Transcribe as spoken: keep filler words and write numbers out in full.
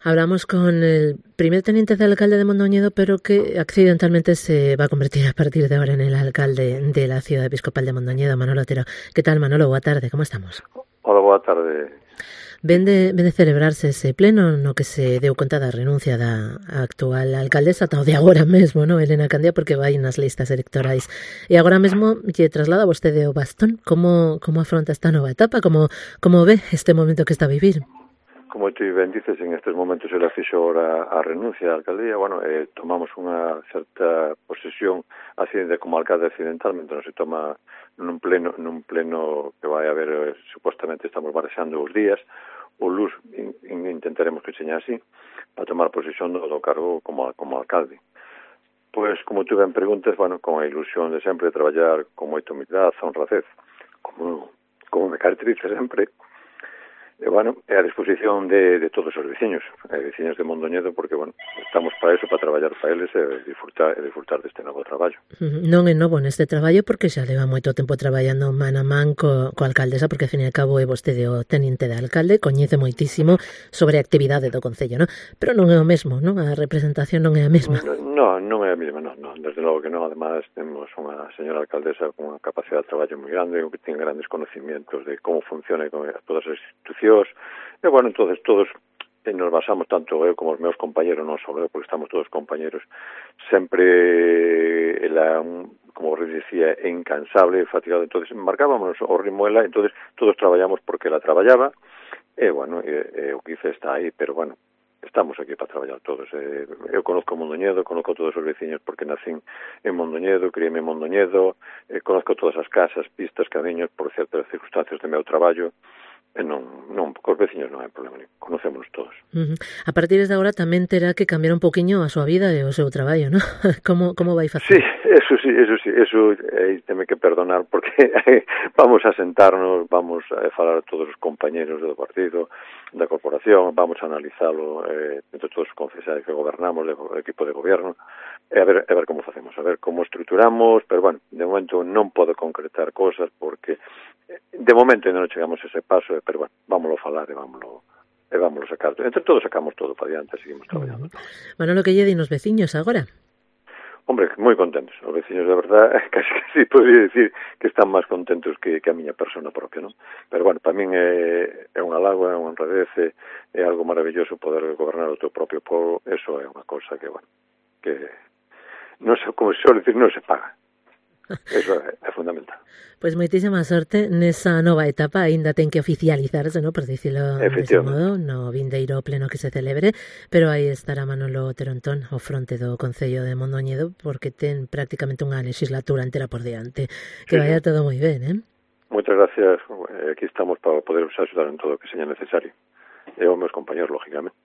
Hablamos con el primer teniente de alcalde de Mondoñedo, pero que accidentalmente se va a convertir a partir de ahora en el alcalde de la ciudad episcopal de Mondoñedo, Manolo Otero. ¿Qué tal, Manolo? Boa tarde, como estamos? Hola, boa tarde. Ven de, ven de celebrarse ese pleno no que se deu conta da renuncia da actual alcaldesa, tal de agora mesmo, no, Elena Candía, porque vai nas listas electorais. E agora mesmo lle traslada vostede o bastón. Como, como afronta esta nova etapa? Como, como ve este momento que está a vivir? Como tú ben dices, en estes momentos ela fixo ahora a renuncia á alcaldía. Bueno, eh, tomamos unha certa posesión así de como alcalde accidentalmente, non se toma nun pleno nun pleno que vai haber, eh, supuestamente estamos barexando os días, o luz in, in, intentaremos que seña así, para tomar posesión do, do cargo como, como alcalde. Pois, como tú ben preguntas, bueno, con a ilusión de sempre traballar con moita humildade, honradez, como, como me caracteriza sempre. E, bueno, é a disposición de, de todos os veciños, e veciños de Mondoñedo, porque, bueno, estamos para eso, para traballar para eles e disfrutar, e disfrutar deste novo traballo. Non é novo neste traballo porque xa leva moito tempo traballando man a man co, co alcaldesa, porque, ao fin e ao cabo, é vostede o teniente de alcalde, coñece moitísimo sobre a actividade do Concello, non? Pero non é o mesmo, non? A representación non é a mesma. Non, non é a mesma, non, non, desde logo que non. Además, temos unha señora alcaldesa con unha capacidade de traballo moi grande, que ten grandes conocimientos de como funciona con todas as institucións. E, bueno, entonces todos e nos basamos, tanto eu como os meus compañeros, non só eu, porque estamos todos compañeros, sempre ela, como vos dicía, incansable, fatigado. Entonces marcábamos o ritmo ela, entonces todos traballamos porque ela traballaba, e, bueno, e, e o que hice está aí, pero, bueno, estamos aquí para traballar todos. Eh, eu conozco Mondoñedo, conozco todos os veciños porque nacín en Mondoñedo, criéme en Mondoñedo, eh, conozco todas as casas, pistas, camiños, por certas circunstancias de meu traballo. E non, non, cos veciños non hai problema, conocémonos todos. Uh-huh. A partir de agora tamén terá que cambiar un poquinho a súa vida e o seu traballo, non? Como, como vai facer? Sí, eso sí, eso sí, eso eh, teme que perdonar porque vamos a sentarnos, vamos a falar a todos os compañeros do partido, da corporación, vamos a analizalo eh, entre todos os concesais que gobernamos, do equipo de gobierno, e a ver, a ver como facemos, a ver como estruturamos, pero, bueno, de momento non podo concretar cosas porque de momento non chegamos a ese paso, pero, bueno, vámoslo falar e vámoslo e vámoslo sacar. Entre todos sacamos todo para diante, seguimos traballando. Uh-huh. Manolo, que lle din os veciños agora? Hombre, moi contentos. Os veciños, de verdad, casi que sí podría decir que están máis contentos que, que a miña persona propia, non? Pero, bueno, para min é, é unha lagoa, é unha honradez, é, é algo maravilloso poder gobernar o teu propio povo. Eso é unha cosa que, bueno, que non sei, como se suele decir, non se paga. Eso é, é fundamental. Pois pues moitísima sorte nesa nova etapa, aínda ten que oficializarse, no, por dicilo dese modo, no vindeiro pleno que se celebre, pero aí estará Manolo Otero Antón ao fronte do Concello de Mondoñedo, porque ten prácticamente unha legislatura entera por diante. Que sí, vaya todo moi ben, eh? Moitas gracias, aquí estamos para poder axudar en todo o que seña necesario. E os meus compañeros, lógicamente.